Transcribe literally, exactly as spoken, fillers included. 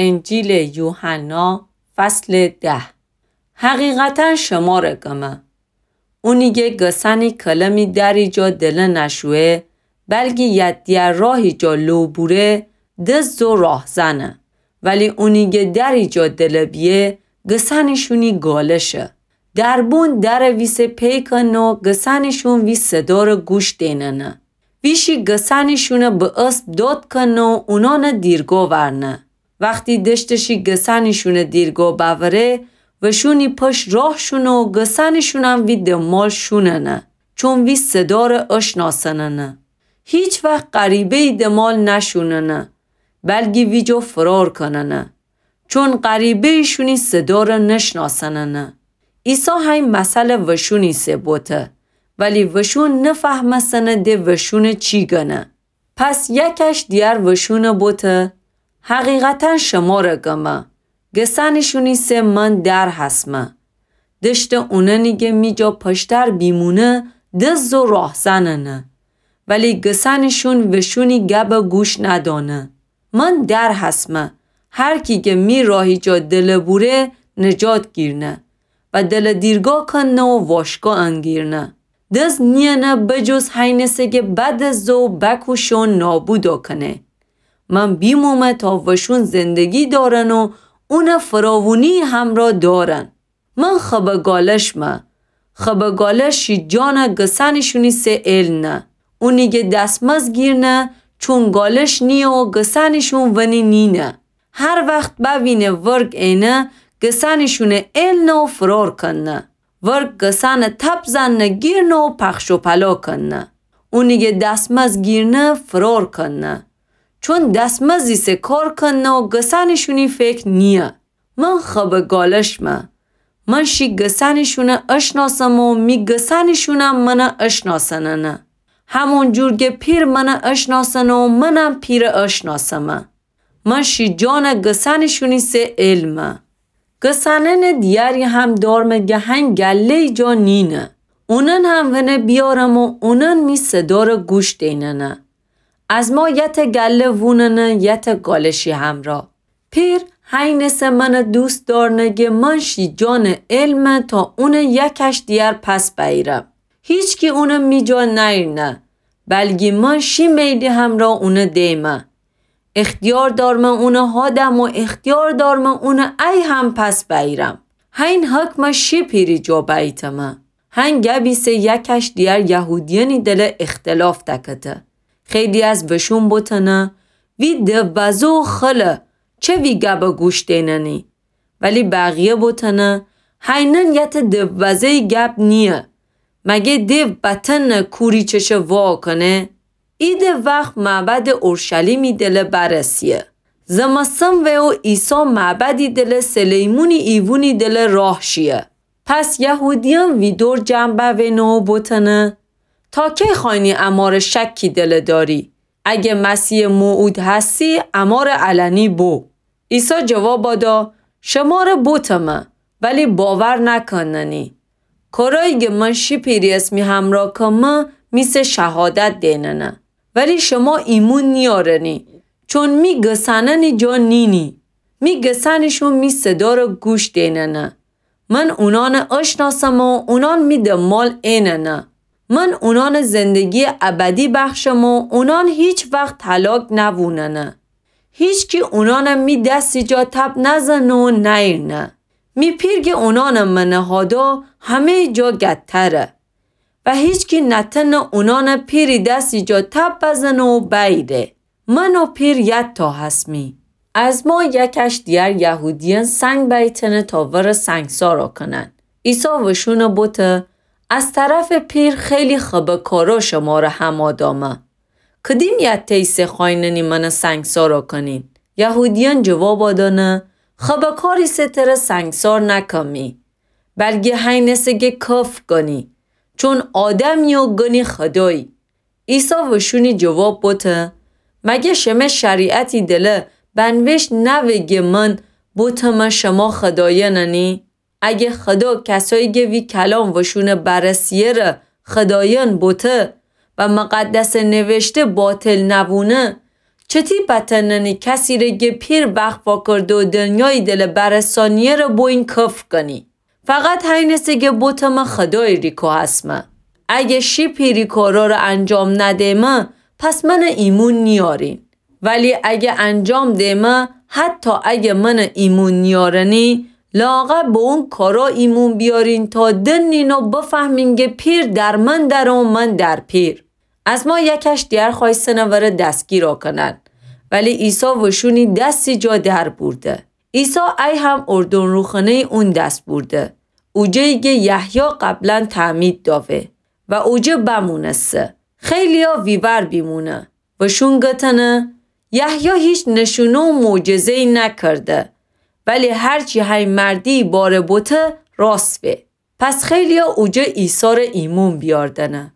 انجیلٚ یوحنا، فصلٚ ده. حقیقتاً شمرَ گمه، اونی گه گسأنی کلمی دری جا دله نشویه، بلکی یدیه راهی جا لو بوره، دزد و راهزنه. ولی اونی گه دری جا دله بیه، گسأنی‌شونی گالشه. دربون درَ ویسه پیکن و گسأنی‌شون وی صدارَ گوش دیننه. ویشی گسأنی‌شونَ به اسب داد کنه و اونانَ دیرگا ورنه. وختی دشتشی گسأنی‌شونَ دیرگا بأوره، وشونی پشت راه شونه و گسأنی‌شونم وی دمال شوننه، چون وی صدارَ اشناسننه. هیچ وخت غریبه‌یی دمال نشوننه، بلکی ویجا فرار کننه، چون غریبه‌یی‌شونی صدارَ نشناسننه. عیسی هی مثلَ وشونی سه بوته، ولی وشون نفهمستنه ده وشونَ چی گنه. پس یکش دیگر وشونَ بوته، حقیقتاً شمرَ گمه، گسأنی‌شونی سه من در هسمه. دشتٚ اونأنی گه می جا پشتر بیمونه، دزد و راهزننه. ولی گسأنی‌شون وشونی گبَ گوش ندانه. من در هسمه، هر کی گه می راهی جا دله بوره، نجات گیرنه و دلَ دیرگا کنه و واشگا انگیرنه. دزد نیینه بجز هینسه گه بدزده و بکوشه و نابودا کنه. من بیمومه تا وشون زندگی دارن و اونَ فراوونی همرا دارن. من خبٚ گالشمه. خبٚ گالش شی جانَ گسأنی‌شونی سه ائلنه. اونی گه دسمزد گیرنه، چون گالش نییه و گسأنی‌شون ونی نینه. هر وخت بوینه ورگ ائنه، گسأنی‌شونَ ائلنه و فرار کنه. ورگ گسأنَ تب زنه گیرنه و پخش و پلا کنه. اونی گه دسمزد گیرنه، فرار کنه. چون دسمزدی سه کار کنه و گسأنی‌شونی فکر نییه. من خبٚ گالشمه. من شی گسأنی‌شونَ اشناسم و می گسأنی‌شونم منَ اشناسننه. همون جور گه پیر منَ اشناسنه و منم پیرَ اشناسمه. من شی جانَ گسأنی‌شونی سه ائلمه. گسأنأنٚ دیگری هم دارمه گه هنگ گله‌یی جا نینه. اونأن هم ونه بیارم و اونأن می صدارَ گوش دیننه. از ما یتأ گله ووننه یتأ گالشی همرا. پیر هینسه منَ دوست دارنه گه من شی جانَ ائلمه تا اونَ یکش دیگر پس بأییرم. هیچکی اونَ می جا نأییرنه، بلکی من شی میلی همرا اونَ دیمه. اختیار دارمه اونَ هادم و اختیار دارمه اونَ ای هم پس بأییرم. هین حکمَ شی پیری جا بأییتمه. هین گبی سه یکش دیگر یهودیأنی دله اختلاف دکته. خیلی از وشون بوتنه، وی دووزه و خله، چه وی گبَ گوش دیننی؟ ولی بقیه بوتنه، هینأن یتأ دووزه‌یی گب نییه. مگه دیو بتأنه کوری چشه وا کنه؟ ایدٚ وخت معبدٚ اورشلیمی دله برسیه. زمستن وه و عیسی معبدی دله سلیمونی ایوونی دله راه شیه. پس یهودیأن ویدور جمع بأوینه و بوتنه، تا کی خوأیینی امارٚ شکی دله دأری؟ اگه مسیحٚ موعود هستی، امارٚ علنی بو. عیسی جواب دا، شمره بوتمه، ولی باور نکننی. کارایی گه من شی پیری اسمی همرا کمه، می سه شهادت دیننه. ولی شما ایمون نیارنی، چون می گسأنأنی جا نینی. می گسأنیشون می صداره گوش دیننه. من اونانه اشناسم و اونان می دنبال ایننه. من اونانه زندگی ابدی بخشم و اونان هیچ وقت هلاک نووننه. هیچکی اونانه می دسی جا تب نزنه و نئیرنه. می پیر گه اونانه منه هادا همه‌یی جا گتره. و هیچکی نتنه اونانه پیری دسی جا تب بزنه و بئیره. من و پیر یتا هسمی. از ما یکش دیگر یهودیأن سنگ بیتنه تا وره سنگسارا کنن. عیسی وشونه بوته، از طرف پیر خیلی خبه کارا شماره همادامه. کدیم یته‌یی سه خوأیننی منه سنگسارا کنین؟ یهودیأن جوابا دانه، خبه کاری سه تره سنگسار نکمی، بلگی هینه سه گه کفر گنی، چون آدمی و گنی خدایی. عیسی وشونی جواب بوته، مگه شمه شریعتی دله بنوشت نوه گه من بوتمه شما خدایأننی؟ اگه خدا کسایی گه وی کلام وشونه بررسی‌یه ره خدایأن بوته و مقدسه نوشته باطل نوونه، چتی بتأننی کسی‌ره گه پیر وخت واکرده و دنیایی دلٚ برسانی‌یه‌ره بویین کفر کنی؟ فقط هینسه گه بوتمه خودایی ریکا هسمه. اگه شی پیری کاراره انجام ندیمه، پس منه ایمون نیارین. ولی اگه انجام دیمه، حتی اگه منه ایمون نیارنی، لااقل به اون کارا ایمون بیارین تا دنین و بفهمین گه پیر در من دره و من در پیر. از ما یکش دیگر خوأیستنه وره دستگیرا کنن، ولی عیسی وشونی دسی جا در بورده. عیسی ای هم اردن روخانه‌یی اون دس بورده، اوجه‌یی گه یحیی قبلا تعمید داوه و اوجه بمونسته. خیلی‌یا ویور بیمونه و شون گتنه: یحیی هیچ نشونه و معجزه‌یی نکرده، ولی هرچی هی مردی باره بوته راست به. پس خیلی‌یا اوجه عیسی‌ره ایمون بیاردنه.